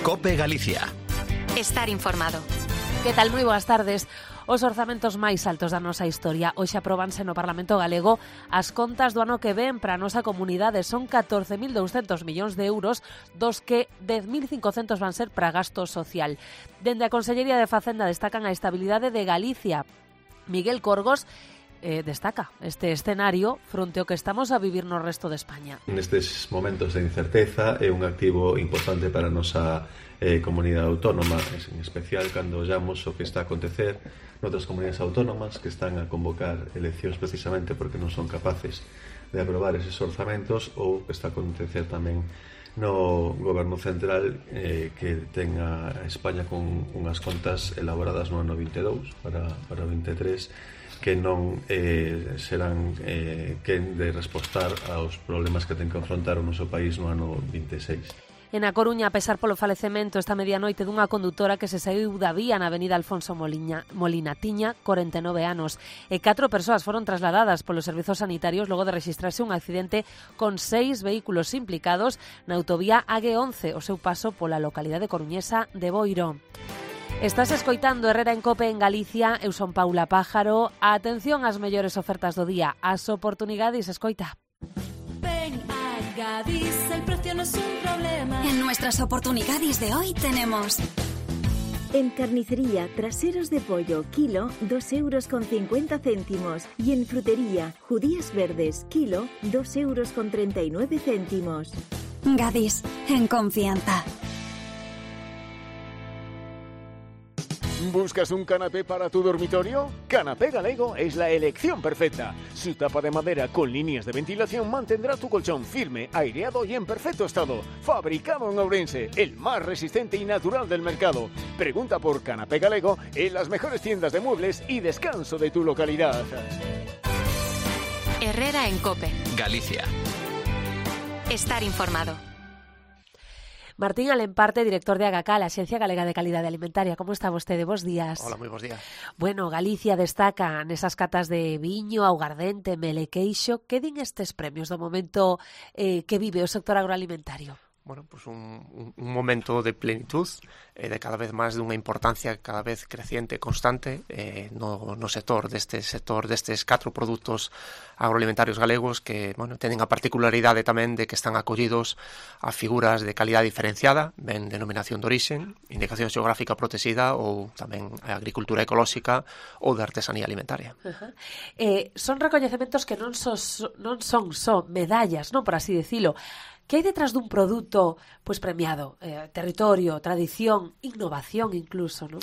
COPE Galicia. Estar informado. Que tal? Moi boas tardes. Os orzamentos máis altos da nosa historia. Hoxe apróbanse no Parlamento Galego as contas do ano que ven para a nosa comunidade. Son 14.200 millóns de euros, dos que 10.500 van ser para gasto social. Dende a Consellería de Facenda destacan a estabilidade de Galicia. Miguel Corgos destaca este escenario fronte ao que estamos a vivir no resto de España. Nestes momentos de incerteza é un activo importante para a nosa comunidade autónoma, en especial cando ollamos o que está a acontecer noutras comunidades autónomas que están a convocar eleccións precisamente porque non son capaces de aprobar eses orzamentos, ou que está a acontecer tamén no goberno central que ten a España con unhas contas elaboradas no ano 22 para o 23 que non serán quen de respostar aos problemas que ten que afrontar o noso país no ano 26. En A Coruña, a pesar polo falecemento esta medianoite dunha condutora que se saíu da vía na avenida Alfonso Molina, tiña 49 anos, e 4 persoas foron trasladadas polos servizos sanitarios logo de rexistrarse un accidente con 6 vehículos implicados na autovía AG11, o seu paso pola localidade coruñesa de Boiro. Estás escoitando Herrera en Cope en Galicia. Eu son Paula Pájaro. Atención ás mellores ofertas do día, as oportunidades, escoita. Ven a Gadis, el precio no es un problema. En nuestras oportunidades de hoy tenemos... En carnicería, traseros de pollo, kilo, 2,50 €. Y en frutería, judías verdes, kilo, 2,39 €. Gadis, en confianza. ¿Buscas un canapé para tu dormitorio? Canapé Galego es la elección perfecta. Su tapa de madera con líneas de ventilación mantendrá tu colchón firme, aireado y en perfecto estado. Fabricado en Ourense, el más resistente y natural del mercado. Pregunta por Canapé Galego en las mejores tiendas de muebles y descanso de tu localidad. Herrera en Cope. Galicia. Estar informado. Martín Alemparte, director de AGACAL, a Axencia Galega de Calidade Alimentaria. Como está vostede? Bos días. Hola, moi bos días. Bueno, Galicia destaca nesas catas de viño, augardente, mel e queixo. Que din estes premios do momento que vive o sector agroalimentario? Bueno, pues un momento de plenitud, de cada vez máis dunha importancia cada vez creciente e constante no sector destes 4 produtos agroalimentarios galegos que, bueno, teñen a particularidade tamén de que están acollidos a figuras de calidade diferenciada, ben denominación de orixen, indicación xeográfica protexida ou tamén a agricultura ecolóxica ou de artesanía alimentaria. Son recoñecementos que non son só medallas, non, por así decilo. Que hai detrás dun produto pois premiado? Territorio, tradición, innovación incluso, non?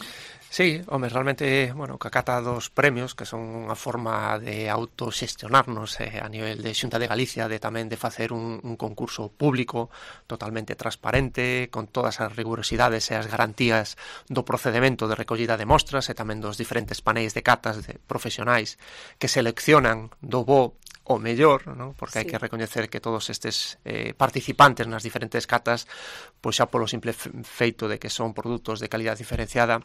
Sí, home, realmente, bueno, que acata dos premios que son unha forma de autoxestionarnos a nivel de Xunta de Galicia, de tamén de facer un concurso público totalmente transparente, con todas as rigurosidades e as garantías do procedemento de recollida de mostras e tamén dos diferentes paneis de catas de profesionais que seleccionan do bo o mellor, ¿no? Porque hai que recoñecer que todos estes participantes nas diferentes catas, pois xa polo simple feito de que son produtos de calidad diferenciada,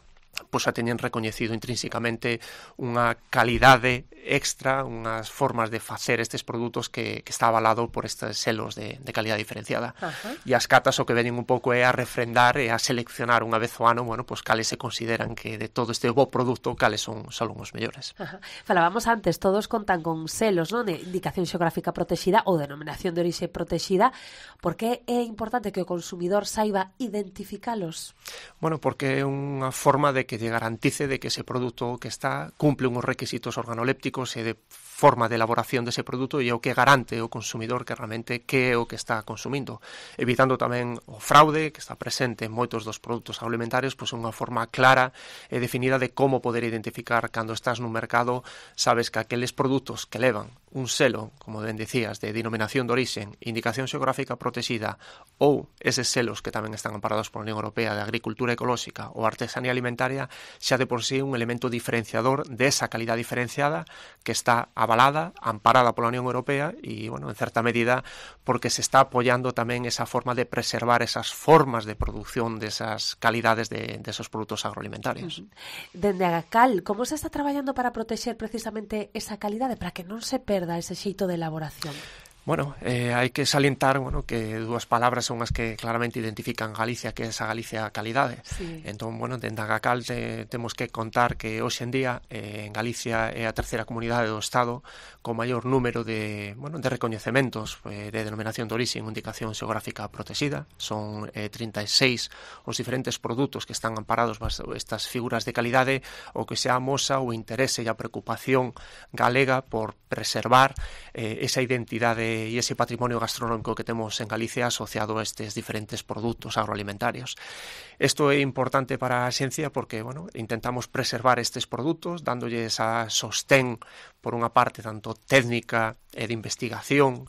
pois xa teñen recoñecido intrínsecamente unha calidade extra, unhas formas de facer estes produtos que está avalado por estes selos de calidad diferenciada. E as catas o que veñen un pouco é a refrendar e a seleccionar unha vez ao ano, bueno, pois cales se consideran que de todo este bo produto, cales son os mellores. Falábamos antes, todos contan con selos, non? De indicación xeográfica protexida ou denominación de orixe protexida. Por que é importante que o consumidor saiba identificalos? Bueno, porque é unha forma de que lle garantice de que ese produto que está cumple unhos requisitos organolépticos e de forma de elaboración dese produto e o que garante o consumidor que realmente que é o que está consumindo, evitando tamén o fraude que está presente en moitos dos produtos agroalimentarios, pois unha forma clara e definida de como poder identificar cando estás nun mercado, sabes que aqueles produtos que levan un selo, como ben dicías, de denominación de orixen, indicación xeográfica protexida ou eses selos que tamén están amparados pola Unión Europea de Agricultura Ecolóxica ou Artesanía Alimentaria, xa de por sí un elemento diferenciador desa calidad diferenciada que está avalada, amparada pola Unión Europea e, bueno, en certa medida porque se está apoiando tamén esa forma de preservar esas formas de producción desas calidades de esos produtos agroalimentarios. Dende AGACAL, como se está traballando para protexer precisamente esa calidade, para que non se perda ese xeito de elaboración? Bueno, hai que salientar, bueno, que dúas palabras son as que claramente identifican Galicia, que é esa Galicia calidade. Sí. Entón, bueno, dende a Gacal temos que contar que hoxe en día en Galicia é a terceira comunidade do Estado con maior número de recoñecementos de denominación de orixe en indicación xeográfica protexida. Son 36 os diferentes produtos que están amparados bajo estas figuras de calidade, o que se amosa o interese e a preocupación galega por preservar esa identidade e ese patrimonio gastronómico que temos en Galicia asociado a estes diferentes produtos agroalimentarios. Isto é importante para a xencia porque, bueno, intentamos preservar estes produtos, dándolles a sostén por unha parte tanto técnica e de investigación,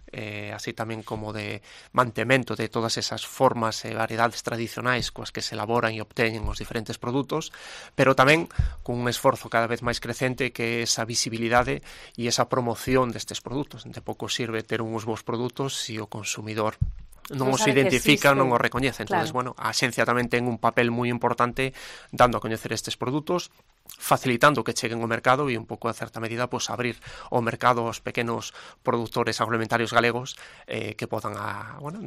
así tamén como de mantemento de todas esas formas e variedades tradicionais coas que se elaboran e obteñen os diferentes produtos, pero tamén con un esforzo cada vez máis crecente que é esa visibilidade e esa promoción destes produtos. De pouco sirve ter uns bons produtos se o consumidor non os identifica, non os recoñece. Entonces, claro. bueno, a xencia tamén ten un papel moi importante dando a coñecer estes produtos, facilitando que cheguen ao mercado e un pouco a certa medida pues, abrir o mercado aos pequenos produtores agroalimentarios galegos que podan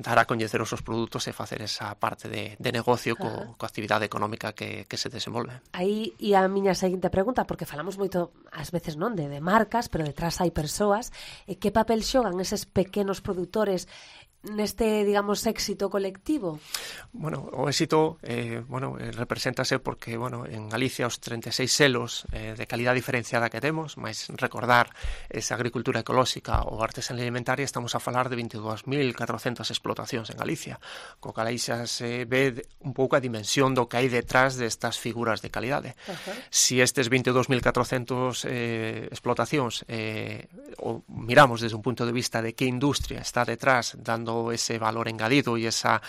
dar a coñecer os seus produtos e facer esa parte de negocio coa actividade económica que se desenvolve. Aí e a miña seguinte pregunta, porque falamos moito ás veces non de marcas, pero detrás hai persoas, que papel xogan eses pequenos produtores neste, digamos, éxito colectivo? Bueno, o éxito, represéntase porque, bueno, en Galicia os 36 selos de calidad diferenciada que temos, máis recordar esa agricultura ecolóxica ou artesanía alimentaria, estamos a falar de 22.400 explotacións en Galicia, co cal aí xa se ve un pouco a dimensión do que hai detrás destas figuras de calidade. Si estes 22.400 explotacións o miramos desde un punto de vista de que industria está detrás dando ese valor engadido e esa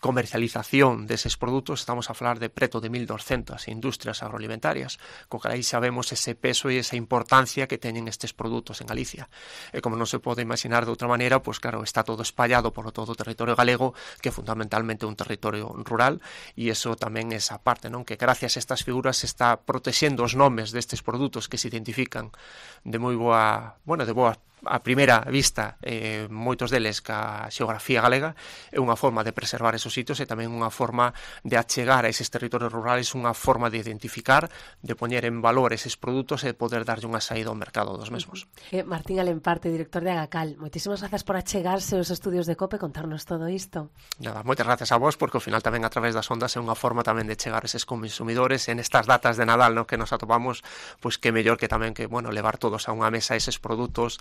comercialización deses produtos, estamos a falar de preto de 1.200 industrias agroalimentarias, co que aí sabemos ese peso e esa importancia que teñen estes produtos en Galicia. E como non se pode imaginar de outra maneira, pues claro, está todo espallado por todo o territorio galego, que é fundamentalmente un territorio rural, e iso tamén é esa parte, non? Que gracias a estas figuras se está protexendo os nomes destes produtos que se identifican de moi boa, de boa a primeira vista, moitos deles ca xeografía galega, é unha forma de preservar esos sitios e tamén unha forma de achegar a eses territorios rurales, unha forma de identificar, de poñer en valor eses produtos e poder darlle unha saída ao mercado dos mesmos. Martín Alemparte, director de Agacal, moitísimas grazas por achegarse aos estudios de COPE e contarnos todo isto. Nada, moitas grazas a vos, porque ao final tamén a través das ondas é unha forma tamén de chegar a eses consumidores en estas datas de Nadal, no, que nos atopamos, pois que mellor que tamén que, levar todos a unha mesa eses produtos.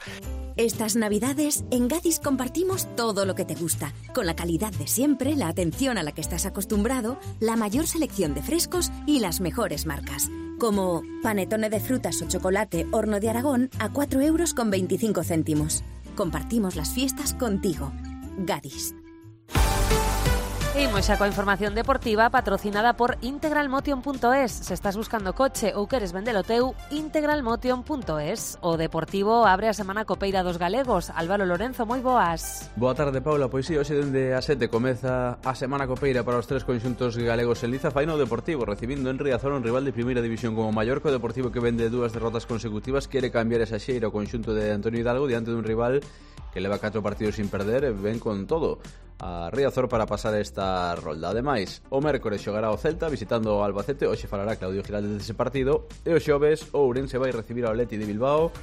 Estas Navidades, en Gadis compartimos todo lo que te gusta, con la calidad de siempre, la atención a la que estás acostumbrado, la mayor selección de frescos y las mejores marcas. Como panetone de frutas o chocolate Horno de Aragón a 4,25 €. Compartimos las fiestas contigo. Gadis. Imos xa coa información deportiva patrocinada por integralmotion.es. Se estás buscando coche ou queres vendelo teu, integralmotion.es. O Deportivo abre a semana copeira dos galegos. Álvaro Lorenzo, moi boas. Boa tarde, Paula. Pois si, hoxe dende a 7 comeza a semana copeira para os tres conxuntos galegos en Liza. Faino o Deportivo, recibindo en Riazor un rival de primeira división como Mallorca. O Deportivo, que vende 2 derrotas consecutivas, quere cambiar esa xeira ao conxunto de Antonio Hidalgo diante dun rival que leva 4 partidos sin perder e ven con todo a Riazor para pasar esta rolda. Ademais, o mércores xogará o Celta visitando o Albacete. Hoxe falará Claudio Giraldez dese partido. E o xoves o Ourense vai recibir ao Atleti de Bilbao.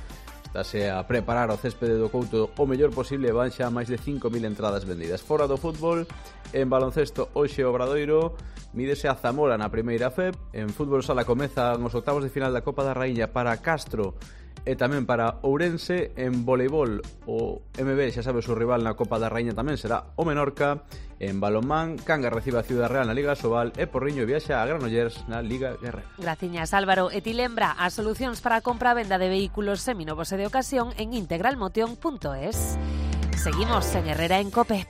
Estáse a preparar o céspede do Couto o mellor posible, van xa máis de 5.000 entradas vendidas. Fora do fútbol, en baloncesto, hoxe o Obradoiro mídese a Zamora na primeira FEP. En fútbol sala comezan os octavos de final da Copa da Raíña para Castro e tamén para Ourense. En voleibol, o MB, xa sabe, o seu rival na Copa da Raíña tamén será o Menorca. En balonmán, Cangas recibe a Ciudad Real na Liga Sobal e Porriño viaxa a Granollers na Liga Guerrero. Graciñas, Álvaro. E ti lembra as solucións para a compra e venda de vehículos seminovos e de ocasión en integralmotion.es. Seguimos en Herrera en COPE.